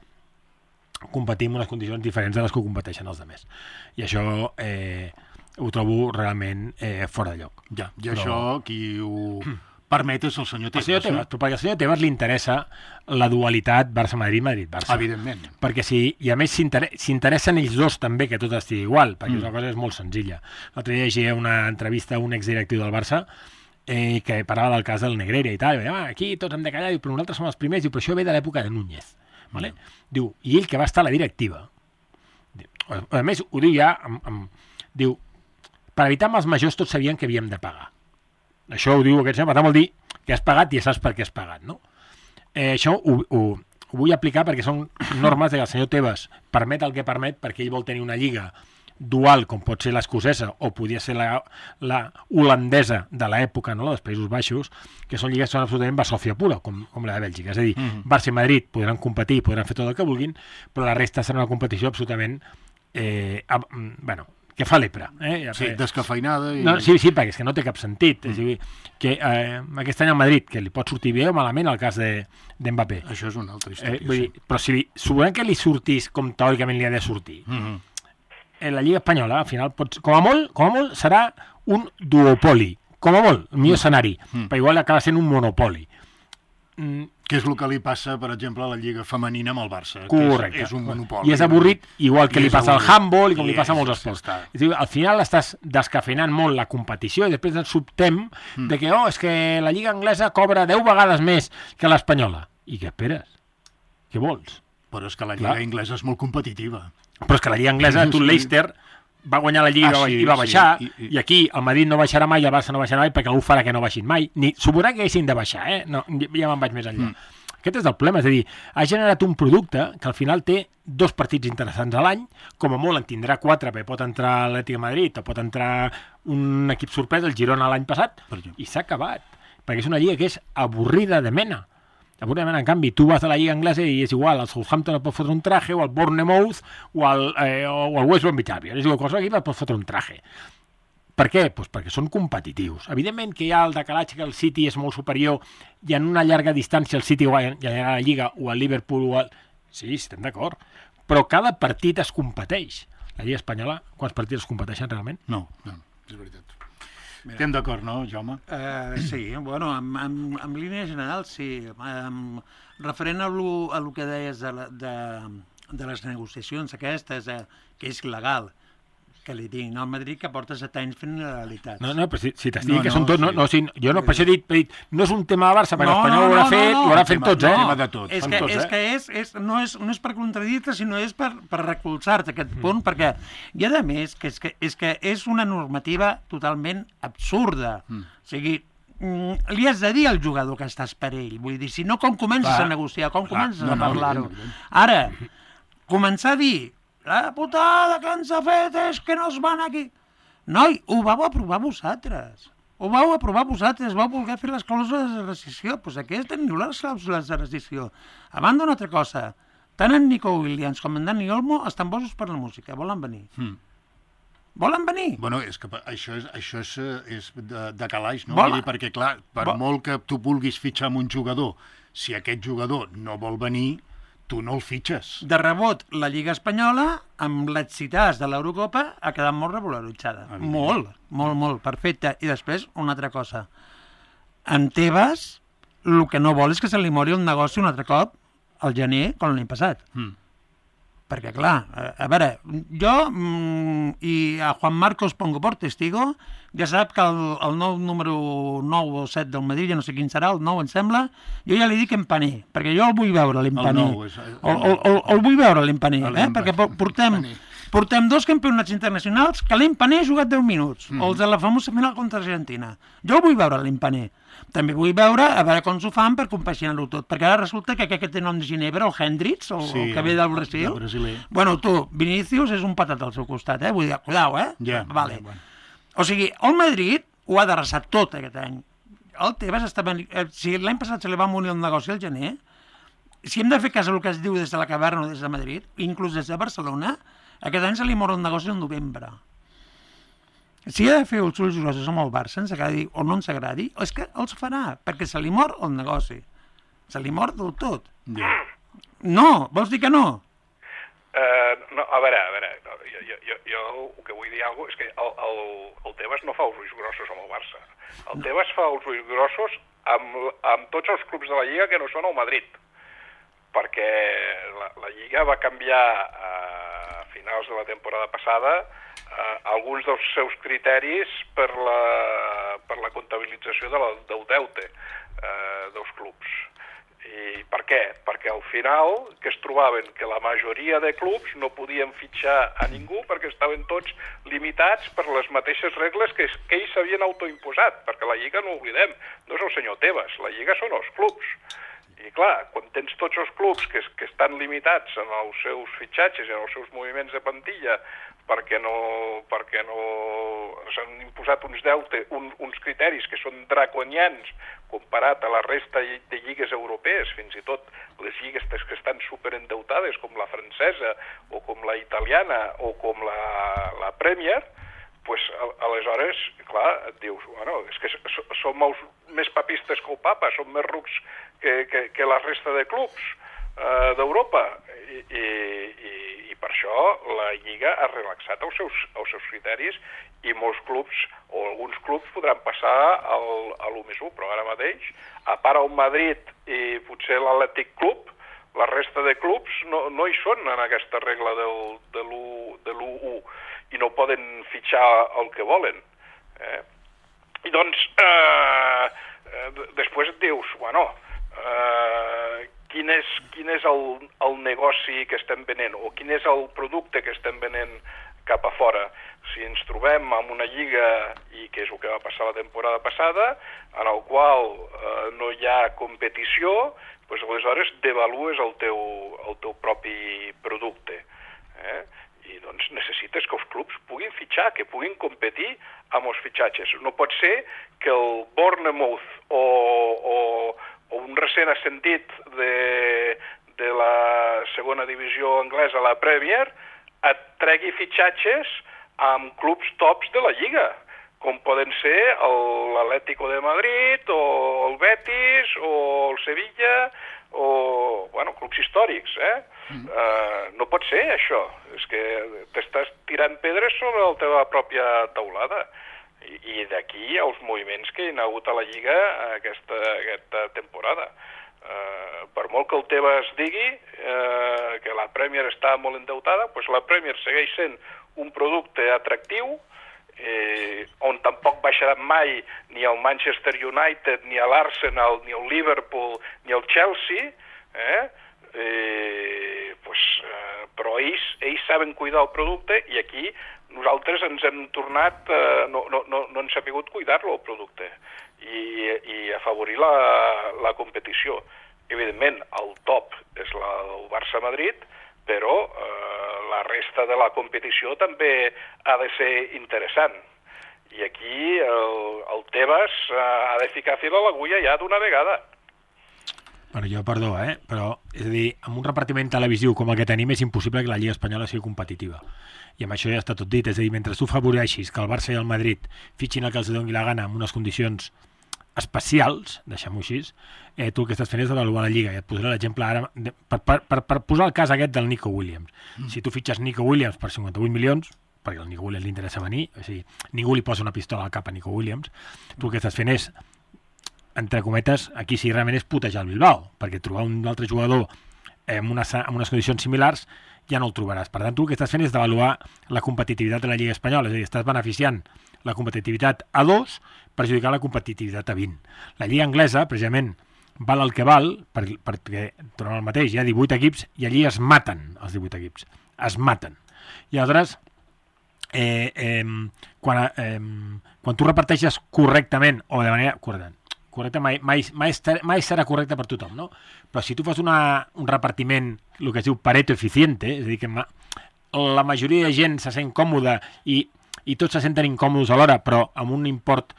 competir en unes condicions diferents de les que competeixen els altres. I això ho trobo realment fora de lloc. Ja, i això qui ho permet és el senyor Tebas. Perquè al senyor Tebas li interessa la dualitat Barça-Madrid, Madrid-Barça. Evidentment. Perquè i a més s'interessen ells dos també que tot estigui igual, perquè una cosa és molt senzilla. L'altre dia llegia una entrevista a un exdirectiu del Barça que parlava del cas del Negreira i tal, i deia, aquí tots hem de callar, però nosaltres som els primers, però això ve de l'època de Núñez. Vale? Diu, i ell que va estar a la directiva, a més ho diu ja diu, per evitar mals majors tots sabien que havíem de pagar. Això ho diu aquest senyor, per tant vol dir que has pagat i ja saps per què has pagat, no? Això ho vull aplicar perquè són normes que el senyor Tebas permet el que permet perquè ell vol tenir una lliga dual, com pot ser l'escocesa o podia ser la holandesa de l'època, no? dels Països Baixos, que són lligues que són absolutament basòfia pura, com la de Bèlgica. És a dir, Barça i Madrid podran competir, podran fer tot el que vulguin, però la resta serà una competició absolutament que fa lepra. Sí, descafeinada. No, sí, perquè és que no té cap sentit. És a dir, que aquest any al Madrid, que li pot sortir bé o malament el cas d'Mbappé. Això és una altra història. Vull dir, però si suposem que li sortís com teòricament li ha de sortir, la Lliga Espanyola, al final, com a molt, serà un duopoli. Com a molt, el millor escenari. Però igual acaba sent un monopoli. Que és el que li passa, per exemple, a la Lliga Femenina amb el Barça. Correcte. Que és un monopoli. I és avorrit, igual que li passa al handball i com li passa a molts esports. És dir, al final estàs descafeinant molt la competició i després ens sobtem de que, és que la Lliga Anglesa cobra 10 vegades més que l'Espanyola. I què esperes? Què vols? Però és que la Lliga Anglesa és molt competitiva. Però és que la Lliga Anglesa, tu el Leicester va guanyar la Lliga i va baixar, i aquí el Madrid no baixarà mai i el Barça no baixarà mai perquè algú farà que no baixin mai. Ni suposarà que haguessin de baixar, no, ja me'n vaig més enllà. Aquest és el problema, és a dir, ha generat un producte que al final té 2 partits interessants a l'any, com a molt en tindrà 4, perquè pot entrar l'Atlètic de Madrid o pot entrar un equip sorpresa, el Girona l'any passat, i s'ha acabat, perquè és una lliga que és avorrida de mena. En canvi, tu vas a la Lliga Anglesa i és igual, el Southampton et pot fotre un traje, o el Bournemouth, o el West Bromwich Albion. És igual, qualsevol equip et pot fotre un traje. Per què? Pues perquè són competitius. Evidentment que hi ha el decalatge que el City és molt superior i en una llarga distància el City guanyarà la Lliga, o el Liverpool, o el... Sí, estem d'acord. Però cada partit es competeix. La Lliga Espanyola, quants partits es competeixen realment? No, és veritat. Estem d'acord, no, Jaume? Sí, bueno, en línia general, sí. Referent a el que deies de les negociacions aquestes, que és legal, que li diguin al Madrid que porta 7 anys fent il·legalitats. No, però si t'estic que són tots... Jo no, per això he dit, no és un tema de Barça, perquè l'Espanyol ho haurà fet, ho haurà fet tots, tema de tots. És que no és per contradir-te, sinó és per recolzar-te aquest punt, perquè hi ha de més que és una normativa totalment absurda. O sigui, li has de dir al jugador que estàs per ell. Vull dir, si no, com comences a negociar, com comences a parlar-ho? Ara, començar a dir la putada que ens ha fet és que no es van aquí. Noi, ho vau aprovar vosaltres. Ho vau aprovar vosaltres, vau voler fer les clàusules de rescissió. Doncs aquí teniu les clàusules de rescissió. A banda, una altra cosa. Tant en Nico Williams com en Dani Olmo estan bojos per la música. Volen venir. Volen venir? Bueno, és que això és de calaix, no? Perquè, clar, per molt que tu vulguis fitxar amb un jugador, si aquest jugador no vol venir, tu no el fitxes. De rebot, la Lliga Espanyola, amb l'excitàs de l'Eurocopa, ha quedat molt regularitzada. Molt, perfecte. I després, una altra cosa. En Tebas, el que no vol és que se li mori el negoci un altre cop al gener, com l'any passat. Perquè, clar, a veure, jo i a Juan Marcos pongo por testigo, ja sap que el nou número 9 o 7 del Madrid, ja no sé quin serà, el 9 em sembla, jo ja li dic Empané, perquè jo el vull veure l'Empané. El vull veure l'Empané, perquè portem 2 campionats internacionals que l'Empané ha jugat 10 minuts, els de la famosa final contra Argentina. Jo el vull veure l'Empané. També vull veure, a veure com s'ho fan per compaginar-ho tot, perquè ara resulta que aquest té nom de Ginebra, el Hendrix, el que ve del Brasil. Bueno, tu, Vinícius és un patat al seu costat, vull dir, cuidao, Vale. O sigui, el Madrid ho ha d'arrasar tot aquest any. El Tebas està venint... Si l'any passat se li va morir el negoci al gener, si hem de fer cas del que es diu des de la caverna o des de Madrid, inclús des de Barcelona, aquest any se li mor el negoci al novembre. Si ha de fer els ulls grossos amb el Barça, ens agradi o no ens agradi, és que els farà, perquè se li mor el negoci. Se li mor del tot. No, vols dir que no? No, a veure, jo el que vull dir alguna cosa és que el Tebas no fa els ulls grossos amb el Barça. El Tebas fa els ulls grossos amb tots els clubs de la Lliga que no són el Madrid, perquè la Lliga va canviar a finals de la temporada passada alguns dels seus criteris per la comptabilització del deute dels clubs. I per què? Perquè al final que es trobaven que la majoria de clubs no podien fitxar a ningú perquè estaven tots limitats per les mateixes regles que ells s'havien autoimposat, perquè la Lliga, no ho oblidem, no és el senyor Tebas, la Lliga són els clubs. I clar, quan tens tots els clubs que estan limitats en els seus fitxatges i en els seus moviments de plantilla perquè s'han imposat uns criteris que són draconians comparat a la resta de lligues europees, fins i tot les lligues que estan superendeutades, com la francesa o com la italiana o com la Premier, pues, aleshores, clar, et dius, bueno, és que som més papistes que el papa, som més rucs que la resta de clubs d'Europa, i per això la Lliga ha relaxat els seus criteris i molts clubs, o alguns clubs, podran passar a l'1+1, però ara mateix, a part el Madrid i potser l'Atlètic Club, la resta de clubs no hi són en aquesta regla de l'1 i no poden fitxar el que volen. I doncs, després et dius, bueno, quin és el negoci que estem venent o quin és el producte que estem venent cap a fora. Si ens trobem en una lliga, i que és el que va passar la temporada passada, en el qual no hi ha competició, doncs aleshores devalues el teu propi producte. I doncs necessites que els clubs puguin fitxar, que puguin competir amb els fitxatges. No pot ser que el Bournemouth o un recent ascendit de la segona divisió anglesa, la Premier, et tregui fitxatges amb clubs tops de la Lliga, com poden ser l'Atlético de Madrid, o el Betis, o el Sevilla, o, bueno, clubs històrics, no pot ser, això. És que t'estàs tirant pedres sobre la teva pròpia teulada. I d'aquí els moviments que hi ha hagut a la Lliga aquesta temporada. Per molt que el Tebas digui que la Premier està molt endeutada, doncs la Premier segueix sent un producte atractiu, on tampoc baixaran mai ni el Manchester United, ni l'Arsenal, ni el Liverpool, ni el Chelsea, però ells saben cuidar el producte, i aquí nosaltres ens hem tornat, no hem sabut cuidar-lo, el producte, i afavorir la competició. Evidentment, el top és el Barça-Madrid, però la resta de la competició també ha de ser interessant. I aquí el Tebas ha de ficar fil a l'agulla ja d'una vegada. Bueno, jo, perdó, però, és a dir, amb un repartiment televisiu com el que tenim és impossible que la Lliga Espanyola sigui competitiva. I amb això ja està tot dit. És a dir, mentre tu favoreixis que el Barça i el Madrid fitxin el que els doni la gana amb unes condicions especials, deixem-ho així, tu el que estàs fent és avaluar la Lliga. I et posaré l'exemple ara, per posar el cas aquest del Nico Williams. Si tu fitxes Nico Williams per 58 milions, perquè al Nico Williams li interessa venir, o sigui, ningú li posa una pistola al cap a Nico Williams, tu el que estàs fent és, entre cometes, aquí sí realment és putejar el Bilbao, perquè trobar un altre jugador amb unes condicions similars ja no el trobaràs. Per tant, tu el que estàs fent és d'avaluar la competitivitat de la Lliga Espanyola, és a dir, estàs beneficiant la competitivitat a 2, perjudicar la competitivitat a 20. La Lliga Anglesa, precisament, val el que val, perquè tornem al mateix, hi ha 18 equips i allí es maten els 18 equips. Es maten. I aleshores, quan tu reparteixes correctament, o de manera correcte mai serà correcte per tothom, no? Però si tu fas un repartiment, el que es diu Pareto eficiente, és a dir, que la majoria de gent se sent còmoda i tots se senten incòmodes alhora, però amb un import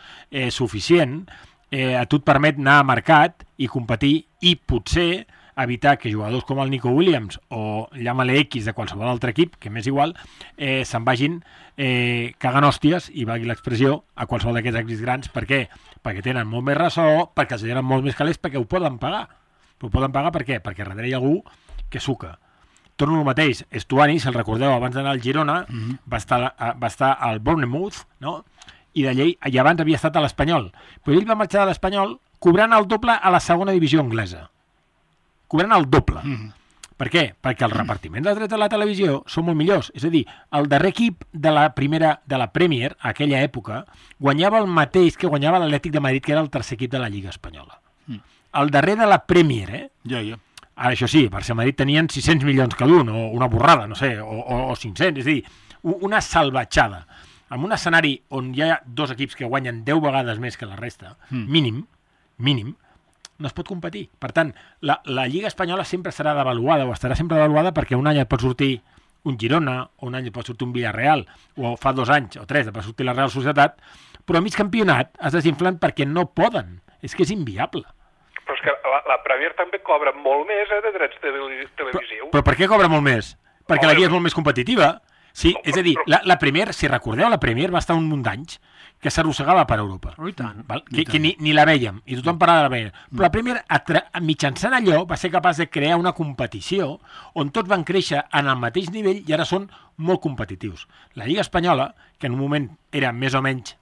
suficient, a tu et permet anar a mercat i competir i potser evitar que jugadors com el Nico Williams o llama-le X de qualsevol altre equip, que m'és igual, se'n vagin cagant hòsties, i valgui l'expressió, a qualsevol d'aquests equips grans. Per què? Perquè tenen molt més ressò, perquè els tenen molt més calés, perquè ho poden pagar. Ho poden pagar per què? Perquè darrere hi ha algú que suca. Torno al mateix, Estuani, si el recordeu, abans d'anar al Girona, va estar al Bournemouth, no? I abans havia estat a l'Espanyol. Però ell va marxar de l'Espanyol cobrant el doble a la segona divisió anglesa. Cobrant el doble. Per què? Perquè el repartiment de drets de la televisió són molt millors. És a dir, el darrer equip de la Premier, a aquella època, guanyava el mateix que guanyava l'Atlètic de Madrid, que era el tercer equip de la Lliga Espanyola. El darrer de la Premier, Ara, això sí, Barça i Madrid tenien 600 milions cada un, o una borrada, no sé, o 500, és a dir, una salvatjada. En un escenari on hi ha dos equips que guanyen 10 vegades més que la resta, mínim, no es pot competir. Per tant, la Lliga Espanyola sempre serà devaluada, o estarà sempre devaluada, perquè un any et pot sortir un Girona, o un any et pot sortir un Villarreal, o fa 2 anys o 3 et pot sortir la Real Societat, però a mig campionat es desinflen perquè no poden. És que és inviable. Però és que la Premier també cobra molt més de drets televisius. Però per què cobra molt més? Perquè la Lliga és molt més competitiva. Sí, és a dir, la Premier, si recordeu, la Premier va estar un munt d'anys que s'arrossegava per Europa. I tant. Que ni la vèiem, i tothom parlava de la Premier. Però la Premier, mitjançant allò, va ser capaç de crear una competició on tots van créixer en el mateix nivell i ara són molt competitius. La Lliga Espanyola, que en un moment era més o menys...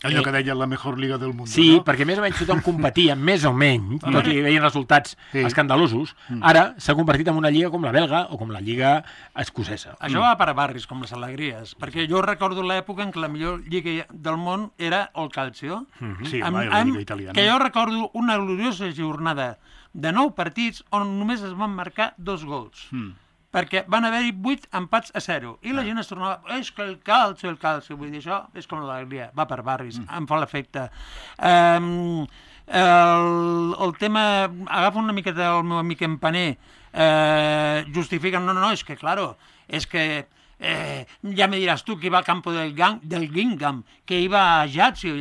Allò que deia la mejor liga del món. Sí, no? Perquè més o menys tothom competia, més o menys, tot i veien resultats escandalosos. Ara s'ha convertit en una lliga com la belga o com la lliga escocesa. Això va per barris, com les alegries, perquè jo recordo l'època en què la millor lliga del món era el Calcio. Sí, la lliga italiana. Que jo recordo una gloriosa jornada de 9 partits on només es van marcar 2 gols. Perquè van haver-hi 8 empats a 0. I la gent es tornava, és que el calcio. Vull dir, això és com l'alegria, va per barris, em fa l'efecte. El tema, agafa una miqueta el meu amic Empaner, justifiquen, no, és que, claro, és que ya me dirás tú que iba al campo del Guingamp, que iba a Ajaccio.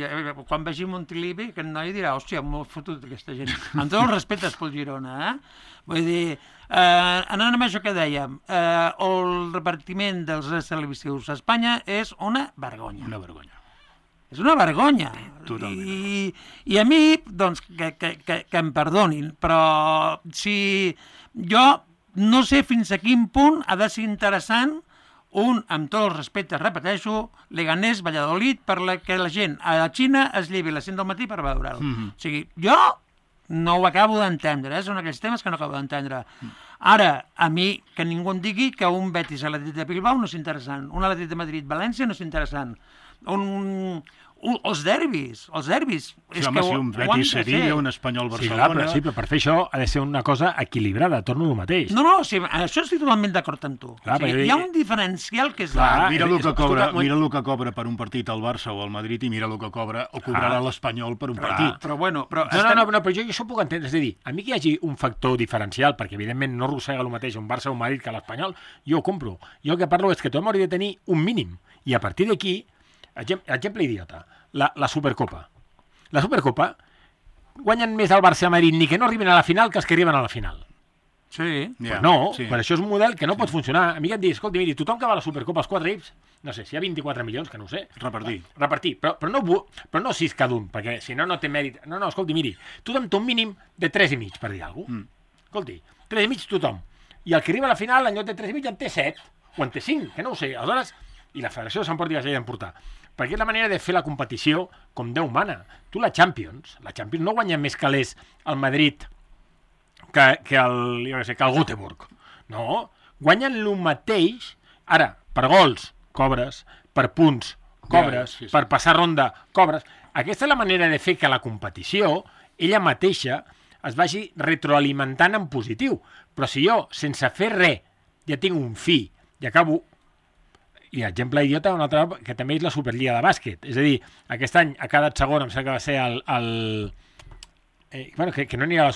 Quan vegi Montilivi, aquest noi dirà, hòstia, m'ho he fotut aquesta gent. Amb tot el respecte pel Girona, Vull dir, anant amb això que dèiem, el repartiment dels drets televisius a Espanya és una vergonya. Una vergonya. És una vergonya. Totalment. I a mi, doncs, que em perdonin, però si jo no sé fins a quin punt ha de ser interessant amb tots els respectes, repeteixo, Leganés, Valladolid, per que la gent a la Xina es llevi a les 5 del matí per veure'l. O sigui, jo no ho acabo d'entendre, són aquells temes que no acabo d'entendre. Ara, a mi, que ningú em digui que un Betis a l'Atlètic de Bilbao no és interessant, un Atlètic de Madrid-València no és interessant, els derbis. Sí, home, si un Betis-Sevilla, un Espanyol-Barcelona... Sí, però per fer això ha de ser una cosa equilibrada, torno al mateix. No, sí, això estic totalment d'acord amb tu. Hi ha un diferencial que és... Mira el que cobra per un partit al Barça o al Madrid i mira el que cobra o cobrarà l'Espanyol per un partit. Però bueno... No, però jo això puc entendre. És a dir, a mi que hi hagi un factor diferencial, perquè evidentment no arrossega el mateix un Barça o un Madrid que l'Espanyol, jo ho compro. Jo el que parlo és que tothom hauria de tenir un mínim. I a partir d'aquí, exemple idiota, la Supercopa. La Supercopa guanyen més el Barça i el Madrid ni que no arriben a la final que els que arriben a la final. Sí. Pues no, per això és un model que no pot funcionar. A mi que em dius, escolta, miri, tothom que va a la Supercopa als 4 equips, no sé, si hi ha 24 milions, que no ho sé. Repartir. Però no 6 cada un, perquè si no, no té mèrit. No, escolti, miri, tothom té un mínim de 3,5, per dir alguna cosa. Escolti, 3,5 tothom. I el que arriba a la final, en lloc de 3,5, en té 7, o en té 5, que no ho sé. Aleshores, i la Federació de Sant Port i la Lleida d'emportar. Perquè és la manera de fer la competició com Déu mana. Tu la Champions no guanya més calés el Madrid que el Göteborg. No, guanyen el mateix. Ara, per gols, cobres, per punts, cobres, per passar ronda, cobres. Aquesta és la manera de fer que la competició, ella mateixa, es vagi retroalimentant en positiu. Però si jo, sense fer res, ja tinc un fi i acabo... I exemple idiota, un altre, que també és la Superliga de bàsquet. És a dir, aquest any ha quedat segon, em sembla que va ser que no anirà a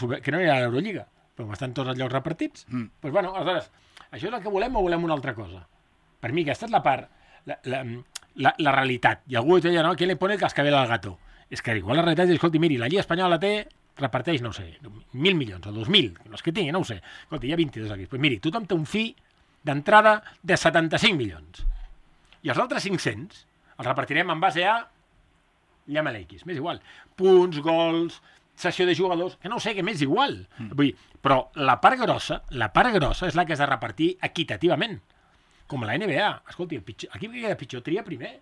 l'Eurolliga, però estan tots els llocs repartits. Doncs bueno, aleshores, això és el que volem o volem una altra cosa? Per mi aquesta és la part, la realitat. I algú deia, no, ¿quién le pone el cascabel al gato? És que igual la realitat és, escolti, miri, la Lliga Espanyola reparteix, no sé, 1.000 milions o 2.000, no és que tingui, no ho sé. Escolti, hi ha 22 aquí. Doncs miri, tothom té un fi d'entrada de 75 milions. I els altres 500 els repartirem en base a llama-la X, m'és igual. Punts, gols, sessió de jugadors, que no ho sé, que m'és igual. Vull dir, però la part grossa és la que has de repartir equitativament. Com la NBA. Escolti, l'equip que queda pitjor tria primer.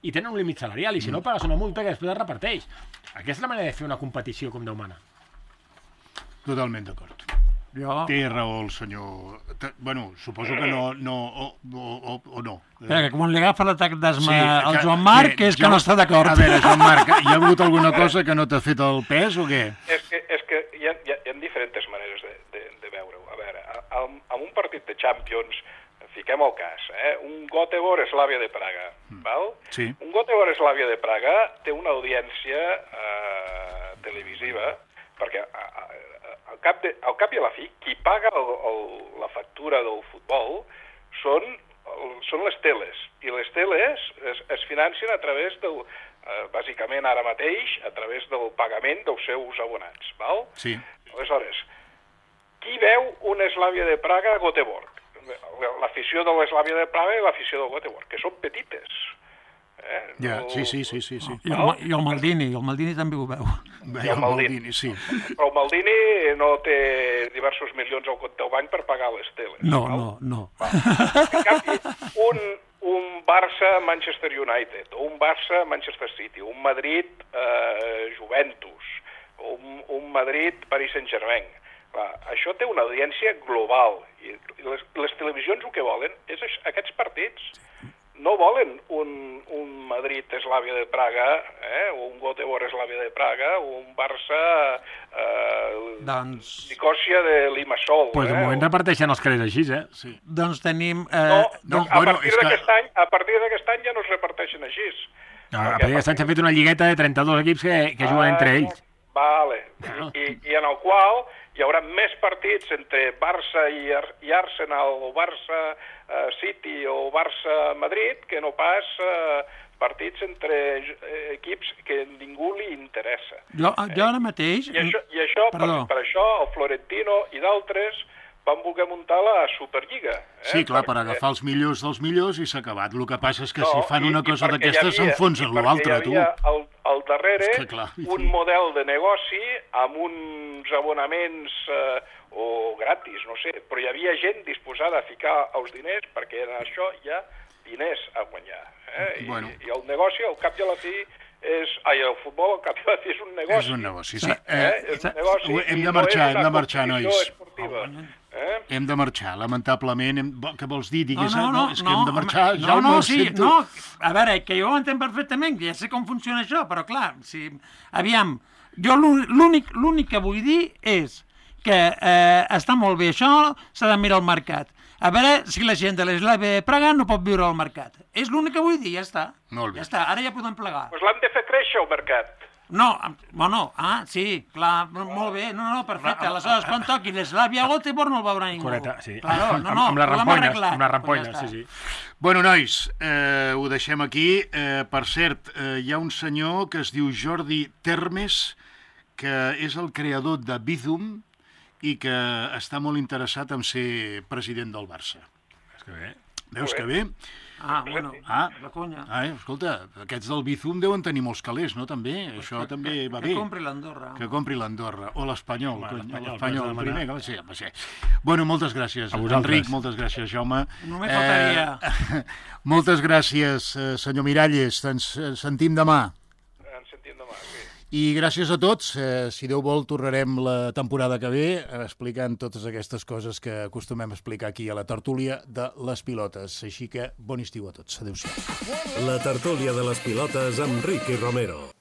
I tenen un límit salarial, i si no pagues una multa que després es reparteix. Aquesta és la manera de fer una competició com Déu mana. Totalment d'acord. Té raó el senyor... Bueno, suposo que no... O no. Que quan li agafa l'atac d'asma al Joan Marc és que no està d'acord. A veure, Joan Marc, hi ha hagut alguna cosa que no t'ha fet el pes o què? És que hi ha diferents maneres de veure-ho. A veure, amb un partit de Champions, fiquem el cas, un Göteborg-Slavia de Praga, val? Sí. Un Göteborg-Slavia de Praga té una audiència televisiva perquè al cap i a la fi, qui paga la factura del futbol són les teles, i les teles es financen a través del, bàsicament ara mateix, a través del pagament dels seus abonats, val? Sí. Aleshores, qui veu una Slavia de Praga a Göteborg? L'afició de l'Slavia de Praga i l'afició del Göteborg, que són petites. Ja, sí. I el Maldini també ho veu. I el Maldini, sí. Però el Maldini no té diversos milions al compte del banc per pagar les teles. No. En canvi, un Barça-Manchester United, o un Barça-Manchester City, un Madrid-Juventus, un Madrid-Paris Saint-Germain, això té una audiència global, i les televisions el que volen és aquests partits. No volen un Madrid-Slavia de Praga, o un Göteborg-Slavia de Praga, o un Barça-Nicòsia de Limassol. Pues de moment reparteixen els calés així, Sí. Doncs tenim... A partir d'aquest any ja no es reparteixen així. A partir d'aquest any s'ha fet una lligueta de 32 equips que juguen entre ells. Vale. I en el qual hi haurà més partits entre Barça i Arsenal, o Barça-City o Barça-Madrid, que no pas partits entre equips que a ningú li interessa. Jo ara mateix... I això, per això, el Florentino i d'altres van voler muntar la Superliga. Sí, clar, per agafar els millors dels millors i s'ha acabat. El que passa és que si fan una cosa d'aquestes s'enfonsen l'altre, tu. Hi havia al darrere un model de negoci amb uns abonaments o gratis, no sé, però hi havia gent disposada a ficar els diners perquè en això hi ha diners a guanyar. I el negoci, al cap i a la fi, el futbol, al cap i a la fi, és un negoci. És un negoci, sí. Hem de marxar, nois. Hem de marxar, lamentablement. Què vols dir? Digues, és que hem de marxar. No. A veure, que jo ho entenc perfectament, que ja sé com funciona això, però clar, aviam, jo l'únic que vull dir és que està molt bé això, s'ha de mirar el mercat. A veure si la gent de l'Slavia de Praga no pot viure al mercat. És l'únic que vull dir, ja està. Molt bé. Ja està, ara ja podem plegar. Doncs l'hem de fer créixer, el mercat. No, sí, clar, molt bé, no, perfecte. Aleshores, quan toqui l'Slavia a Göteborg no el veurà ningú. Correcte, sí. Claro, amb les rampoines, sí. Bueno, nois, ho deixem aquí. Per cert, hi ha un senyor que es diu Jordi Termes, que és el creador de Bizum i que està molt interessat en ser president del Barça. Veus que bé? La conya. Escolta, aquests del Bizum deuen tenir molts calés, no? També, això també va bé. Que compri l'Andorra. Que compri l'Andorra. O l'Espanyol. L'Espanyol primer, que va ser. Bueno, moltes gràcies, Enric, moltes gràcies, Jaume. Només faltaria. Moltes gràcies, senyor Miralles. Ens sentim demà. Ens sentim demà, sí. I gràcies a tots. Si Déu vol, tornarem la temporada que ve explicant totes aquestes coses que acostumem a explicar aquí a la tertúlia de les pilotes. Així que bon estiu a tots. Adéu-siau. La tertúlia de les pilotes amb Ricky Romero.